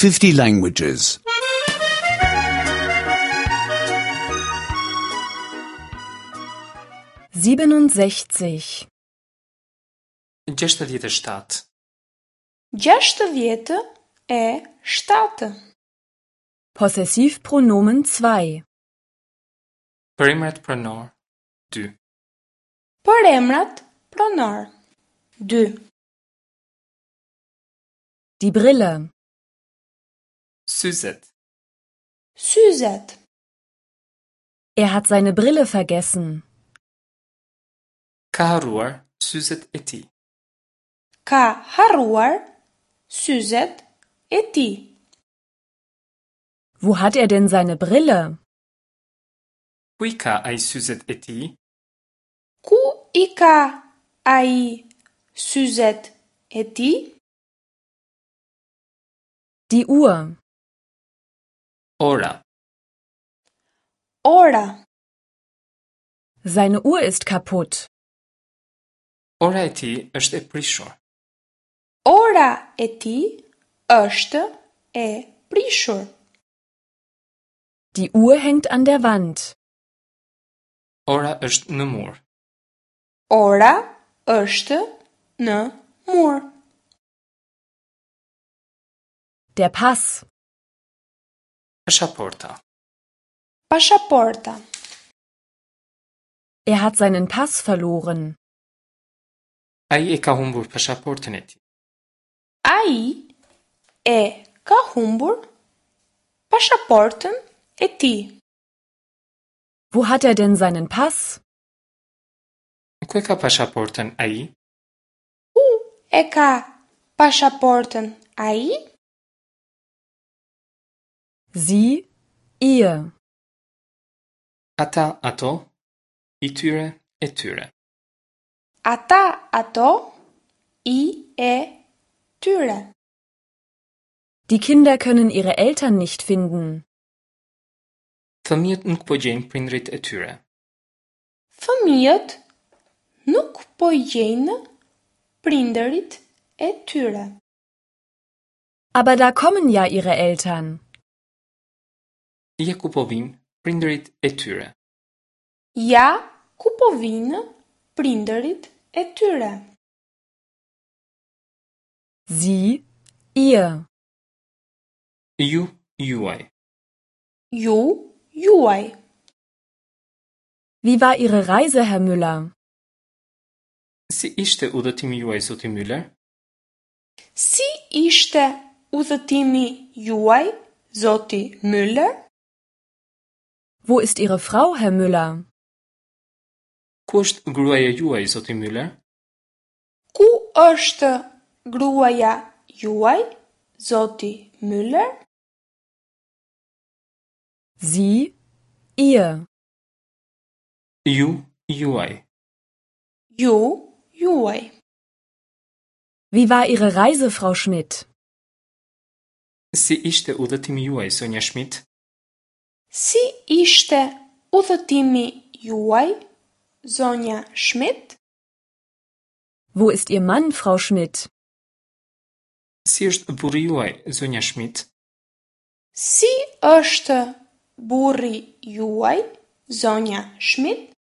50 languages. 67. 67. 67. Possessivpronomen 2. Përemrat pronor 2. Përemrat pronor 2. Die Brille. Syzet. Syzet. Er hat seine Brille vergessen. Ka harruar syzet e tij. Ka harruar syzet e tij. Wo hat er denn seine Brille? Ku i ka ai syzet e tij? Ku i ka ai syzet e tij? Die Uhr. Ora. Ora. Seine Uhr ist kaputt. Ora e tij është e prishur. Ora e tij është e prishur. Die Uhr hängt an der Wand. Ora është në mur. Ora është në mur. Der Pass. Pashaporta. Pashaporta. Er hat seinen Pass verloren. Ai e ka humbur pashaportën e tij. Ai e ka humbur pashaportën e tij. Wo hat er denn seinen Pass? Ku e ka pashaportën ai? Ku e ka pashaportën ai? Sie, ihr. Ata, ato, i tyre, e tyre. Ata, ato, i, e, tyre. Die Kinder können ihre Eltern nicht finden. Fëmijët nuk po gjejnë prindërit e tyre. Fëmijët nuk po gjejnë prindërit e tyre. Aber da kommen ja ihre Eltern. Ja ku po vijnë prindërit e tyre. Ja ku po vijnë prindërit e tyre. Sie, ihr. Ju, juaj. Ju, juaj. Wie war Ihre Reise, Herr Müller? Si ishte udhëtimi juaj, zoti Müller? Si ishte udhëtimi juaj, zoti Müller? Wo ist Ihre Frau, Herr Müller? Ku është gruaja juaj, zoti Müller? Ku është gruaja juaj, zoti Müller? Sie, ihr. Ju, juaj. Ju, juaj. Wie war Ihre Reise, Frau Schmidt? Si ishte udhëtimi juaj, zonja Schmidt? Si ishte udhëtimi juaj, zonja Schmidt? Wo ist Ihr Mann, Frau Schmidt? Si është burri juaj, zonja Schmidt? Si është burri juaj, zonja Schmidt?